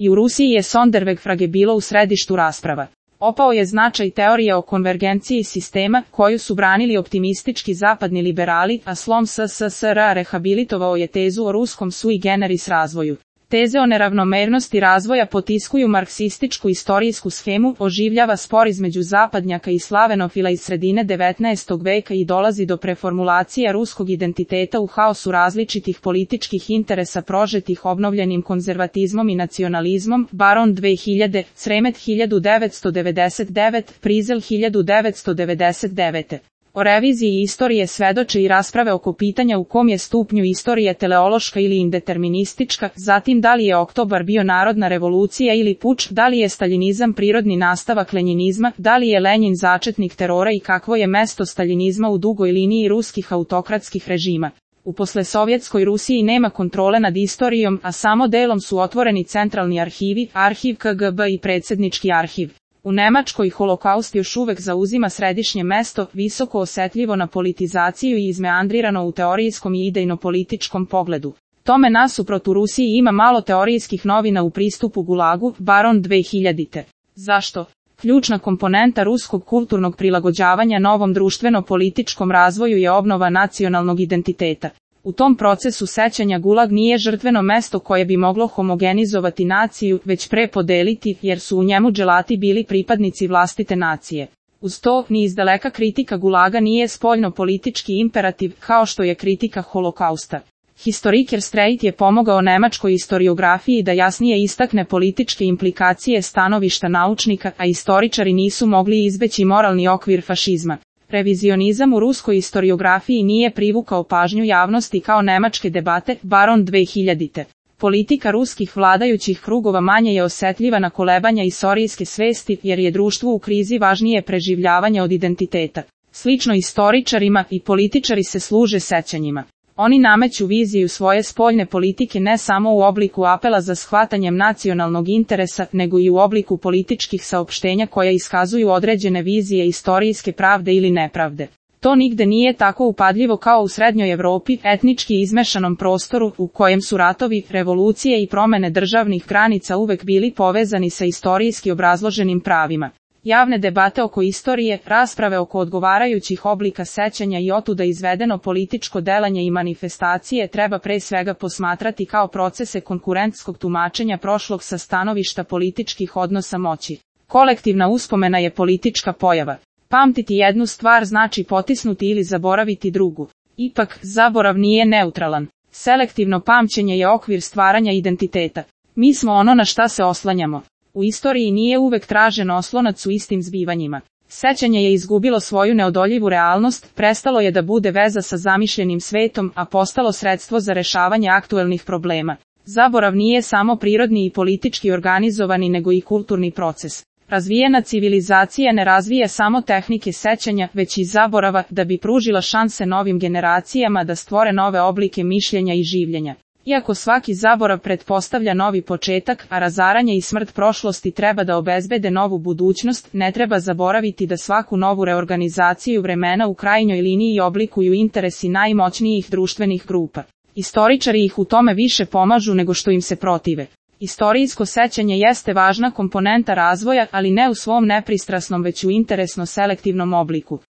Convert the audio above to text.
I u Rusiji je Sonderweg-Frage bilo u središtu rasprava. Opao je značaj teorije o konvergenciji sistema, koju su branili optimistički zapadni liberali, a slom SSSR rehabilitovao je tezu o ruskom sui generis razvoju. Teze o neravnomernosti razvoja potiskuju marksističku istorijsku schemu, oživljava spor između zapadnjaka i slavenofila iz sredine 19. veka i dolazi do preformulacije ruskog identiteta u haosu različitih političkih interesa prožetih obnovljenim konzervatizmom i nacionalizmom. Baron 2000, Sremet 1999, Prizel 1999. O reviziji istorije svedoče i rasprave oko pitanja u kom je stupnju istorije teleološka ili indeterministička, zatim da li je oktobar bio narodna revolucija ili puč, da li je staljinizam prirodni nastavak lenjinizma, da li je Lenjin začetnik terora i kakvo je mesto staljinizma u dugoj liniji ruskih autokratskih režima. U poslesovjetskoj Rusiji nema kontrole nad istorijom, a samo delom su otvoreni centralni arhivi, arhiv KGB i predsjednički arhiv. U Nemačkoj holokaust još uvek zauzima središnje mesto, visoko osetljivo na politizaciju i izmeandrirano u teorijskom i idejno-političkom pogledu. Tome nasuprot u Rusiji ima malo teorijskih novina u pristupu Gulagu. Baron 2000. Zašto? Ključna komponenta ruskog kulturnog prilagođavanja novom društveno-političkom razvoju je obnova nacionalnog identiteta. U tom procesu sećanja Gulag nije žrtveno mesto koje bi moglo homogenizovati naciju, već prepodeliti, jer su u njemu dželati bili pripadnici vlastite nacije. Uz to, ni izdaleka kritika Gulaga nije spoljno-politički imperativ, kao što je kritika holokausta. Historiker Streit je pomogao nemačkoj historiografiji da jasnije istakne političke implikacije stanovišta naučnika, a istoričari nisu mogli izbeći moralni okvir fašizma. Revizionizam u ruskoj historiografiji nije privukao pažnju javnosti kao nemačke debate. Baron 2000. Politika ruskih vladajućih krugova manje je osetljiva na kolebanja istorijske svesti, jer je društvu u krizi važnije preživljavanje od identiteta. Slično istoričarima, i političari se služe sećanjima. Oni nameću viziju svoje spoljne politike ne samo u obliku apela za shvatanjem nacionalnog interesa, nego i u obliku političkih saopštenja koja iskazuju određene vizije istorijske pravde ili nepravde. To nigde nije tako upadljivo kao u Srednjoj Evropi, etnički izmešanom prostoru, u kojem su ratovi, revolucije i promene državnih granica uvek bili povezani sa istorijski obrazloženim pravima. Javne debate oko istorije, rasprave oko odgovarajućih oblika sećanja i otuda izvedeno političko delanje i manifestacije treba pre svega posmatrati kao procese konkurentskog tumačenja prošlog sa stanovišta političkih odnosa moći. Kolektivna uspomena je politička pojava. Pamtiti jednu stvar znači potisnuti ili zaboraviti drugu. Ipak, zaborav nije neutralan. Selektivno pamćenje je okvir stvaranja identiteta. Mi smo ono na šta se oslanjamo. U istoriji nije uvek tražen oslonac u istim zbivanjima. Sećanje je izgubilo svoju neodoljivu realnost, prestalo je da bude veza sa zamišljenim svetom, a postalo sredstvo za rešavanje aktuelnih problema. Zaborav nije samo prirodni i politički organizovani nego i kulturni proces. Razvijena civilizacija ne razvija samo tehnike sećanja, već i zaborava, da bi pružila šanse novim generacijama da stvore nove oblike mišljenja i življenja. Iako svaki zaborav pretpostavlja novi početak, a razaranje i smrt prošlosti treba da obezbede novu budućnost, ne treba zaboraviti da svaku novu reorganizaciju vremena u krajnjoj liniji oblikuju interesi najmoćnijih društvenih grupa. Istoričari ih u tome više pomažu nego što im se protive. Istorijsko sećanje jeste važna komponenta razvoja, ali ne u svom nepristrasnom već u interesno selektivnom obliku.